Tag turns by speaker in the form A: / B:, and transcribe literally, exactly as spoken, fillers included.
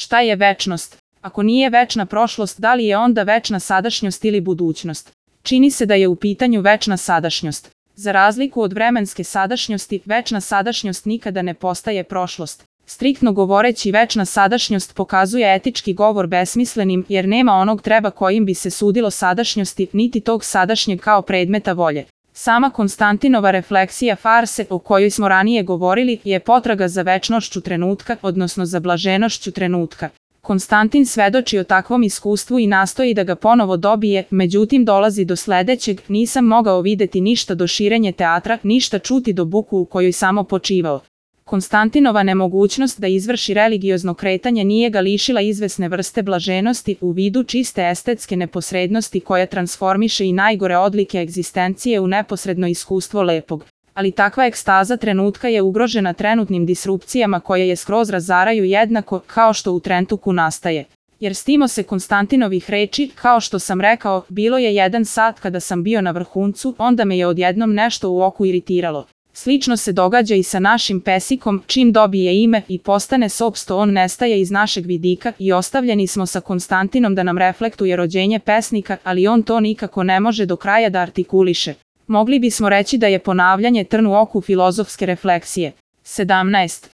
A: Šta je večnost? Ako nije večna prošlost, da li je onda večna sadašnjost ili budućnost? Čini se da je u pitanju večna sadašnjost. Za razliku od vremenske sadašnjosti, večna sadašnjost nikada ne postaje prošlost. Striktno govoreći, večna sadašnjost pokazuje etički govor besmislenim, jer nema onog treba kojim bi se sudilo sadašnjosti, niti tog sadašnjeg kao predmeta volje. Sama Konstantinova refleksija farse, o kojoj smo ranije govorili, je potraga za večnošću trenutka, odnosno za blaženošću trenutka. Konstantin svedoči o takvom iskustvu i nastoji da ga ponovo dobije, međutim dolazi do sledećeg: nisam mogao videti ništa do širenje teatra, ništa čuti do buku u kojoj samo počivao. Konstantinova nemogućnost da izvrši religiozno kretanje nije ga lišila izvesne vrste blaženosti u vidu čiste estetske neposrednosti koja transformiše i najgore odlike egzistencije u neposredno iskustvo lepog. Ali takva ekstaza trenutka je ugrožena trenutnim disrupcijama koje je skroz razaraju jednako kao što u Trentuku nastaje. Jer stimo se Konstantinovih reči, kao što sam rekao, bilo je jedan sat kada sam bio na vrhuncu, onda me je odjednom nešto u oku iritiralo. Slično se događa i sa našim pesikom, čim dobije ime i postane sopsto on nestaje iz našeg vidika i ostavljeni smo sa Konstantinom da nam reflektuje rođenje pesnika, ali on to nikako ne može do kraja da artikuliše. Mogli bismo reći da je ponavljanje trn u oku filozofske refleksije. sedamnaest.